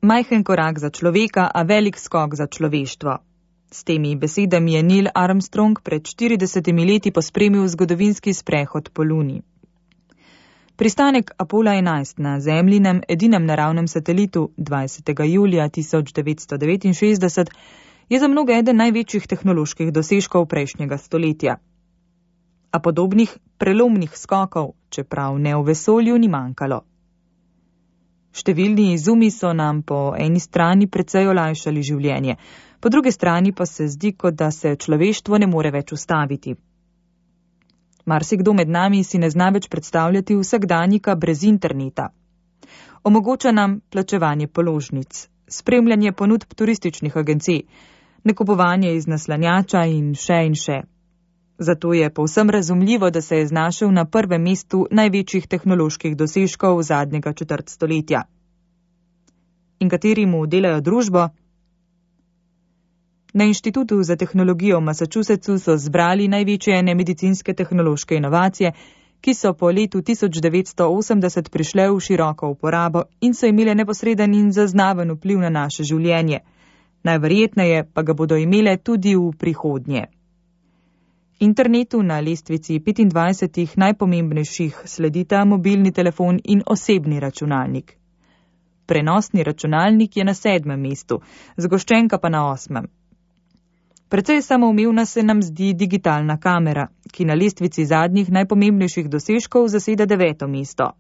Majhen korak za človeka, a velik skok za človeštvo. S temi besedami je Neil Armstrong pred 40 leti pospremil zgodovinski sprehod po Luni. Pristanek Apollo 11 na Zemljinem edinem naravnem satelitu 20. julija 1969 je za mnoge eden največjih tehnoloških dosežkov prejšnjega stoletja. A podobnih prelomnih skokov, čeprav ne v vesolju, ni manjkalo. Številni izumi so nam po eni strani precej olajšali življenje, po drugi strani pa se zdi, kot da se človeštvo ne more več ustaviti. Marsikdo med nami si ne zna več predstavljati vsakdanjika brez interneta. Omogoča nam plačevanje položnic, spremljanje ponudb turističnih agencij, nakupovanje iz naslanjača in še. Zato je povsem razumljivo, da se je znašel na prvem mestu največjih tehnoloških dosežkov zadnjega četrt stoletja. In kateri mu delajo družbo? Na Inštitutu za tehnologijo v Massachusettsu so zbrali največje nemedicinske tehnološke inovacije, ki so po letu 1980 prišle v široko uporabo in so imele neposreden in zaznaven vpliv na naše življenje. Najverjetneje pa ga bodo imele tudi v prihodnje. Internetu na lestvici 25 najpomembnejših sledita mobilni telefon in osebni računalnik. Prenosni računalnik je na 7. mestu, zgoščenka pa na 8. Precej samoumevna se nam zdi digitalna kamera, ki na lestvici zadnjih najpomembnejših dosežkov zaseda 9. mesto.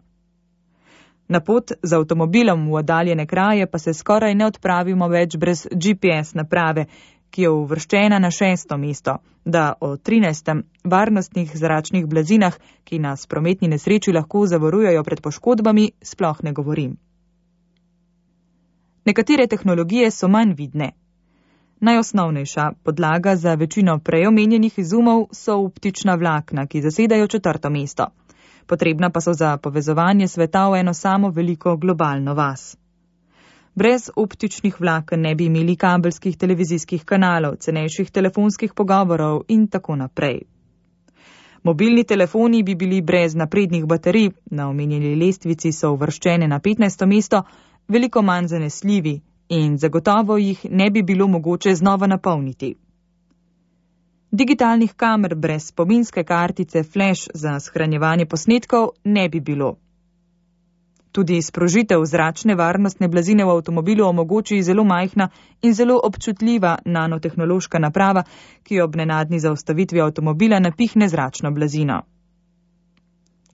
Na pot z avtomobilom v oddaljene kraje pa se skoraj ne odpravimo več brez GPS naprave, ki je uvrščena na 6. mesto, da o 13. varnostnih zračnih blazinah, ki nas v prometni nesreči lahko zavarujejo pred poškodbami, sploh ne govorim. Nekatere tehnologije so manj vidne. Najosnovnejša podlaga za večino prej omenjenih izumov so optična vlakna, ki zasedajo 4. mesto. Potrebna pa so za povezovanje sveta v eno samo veliko globalno vas. Brez optičnih vlaken ne bi imeli kabelskih televizijskih kanalov, cenejših telefonskih pogovorov in tako naprej. Mobilni telefoni bi bili brez naprednih baterij, na omenjeni lestvici so uvrščene na 15. mesto, veliko manj zanesljivi in zagotovo jih ne bi bilo mogoče znova napolniti. Digitalnih kamer brez spominske kartice flash za shranjevanje posnetkov ne bi bilo. Tudi sprožitev zračne varnostne blazine v avtomobilu omogoči zelo majhna in zelo občutljiva nanotehnološka naprava, ki ob nenadni zaustavitvi avtomobila napihne zračno blazino.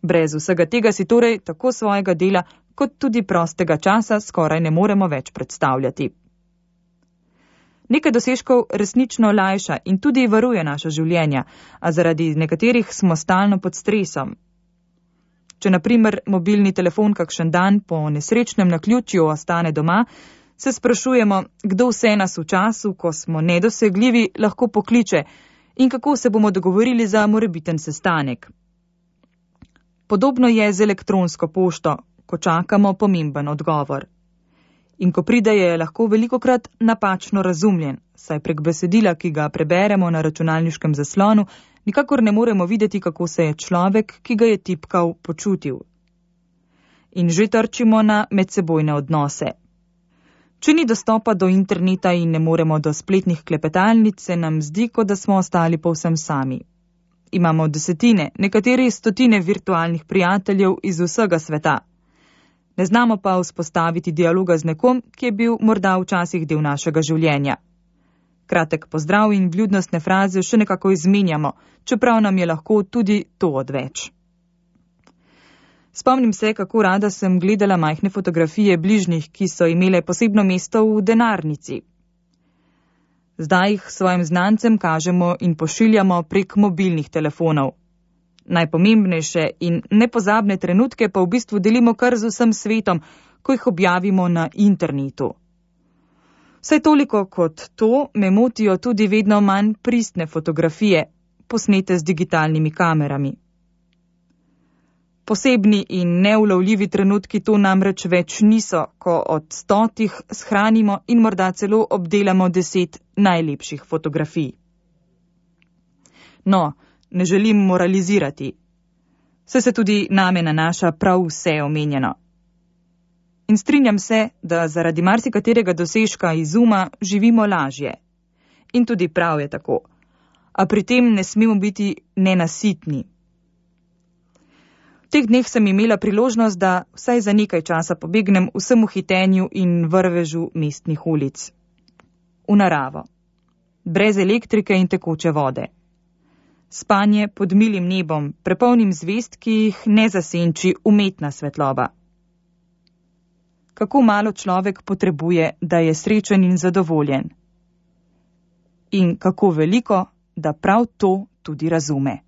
Brez vsega tega si torej tako svojega dela kot tudi prostega časa skoraj ne moremo več predstavljati. Nekaj dosežkov resnično olajša in tudi varuje naša življenja, a zaradi nekaterih smo stalno pod stresom. Če na primer mobilni telefon kakšen dan po nesrečnem naključju ostane doma, se sprašujemo, kdo vse nas v času, ko smo nedosegljivi, lahko pokliče in kako se bomo dogovorili za morebiten sestanek. Podobno je z elektronsko pošto, ko čakamo pomemben odgovor. In ko pride, je lahko velikokrat napačno razumljen, saj prek besedila, ki ga preberemo na računalniškem zaslonu, nikakor ne moremo videti, kako se je človek, ki ga je tipkal, počutil. In že trčimo na medsebojne odnose. Če ni dostopa do interneta in ne moremo do spletnih klepetalnic, se nam zdi, kot da smo ostali povsem sami. Imamo desetine, nekateri stotine virtualnih prijateljev iz vsega sveta. Ne znamo pa vzpostaviti dialoga z nekom, ki je bil morda včasih del našega življenja. Kratek pozdrav in vljudnostne fraze še nekako izmenjamo, čeprav nam je lahko tudi to odveč. Spomnim se, kako rada sem gledala majhne fotografije bližnjih, ki so imele posebno mesto v denarnici. Zdaj jih svojim znancem kažemo in pošiljamo prek mobilnih telefonov. Najpomembnejše in nepozabne trenutke pa v bistvu delimo kar z vsem svetom, ko jih objavimo na internetu. Vsaj toliko kot to me motijo tudi vedno manj pristne fotografije, posnete z digitalnimi kamerami. Posebni in neulovljivi trenutki to namreč več niso, ko od 100 shranimo in morda celo obdelamo 10 najlepših fotografij. No, ne želim moralizirati. Se tudi name nanaša prav vse omenjeno. In strinjam se, da zaradi marsikaterega dosežka izuma živimo lažje. In tudi prav je tako. A pri tem ne smemo biti nenasitni. V teh dneh sem imela priložnost, da vsaj za nekaj časa pobegnem vsemu hitenju in vrvežu mestnih ulic. V naravo. Brez elektrike in tekoče vode. Spanje pod milim nebom, prepolnim zvezd, ki jih ne zasenči umetna svetloba. Kako malo človek potrebuje, da je srečen in zadovoljen. In kako veliko, da prav to tudi razume.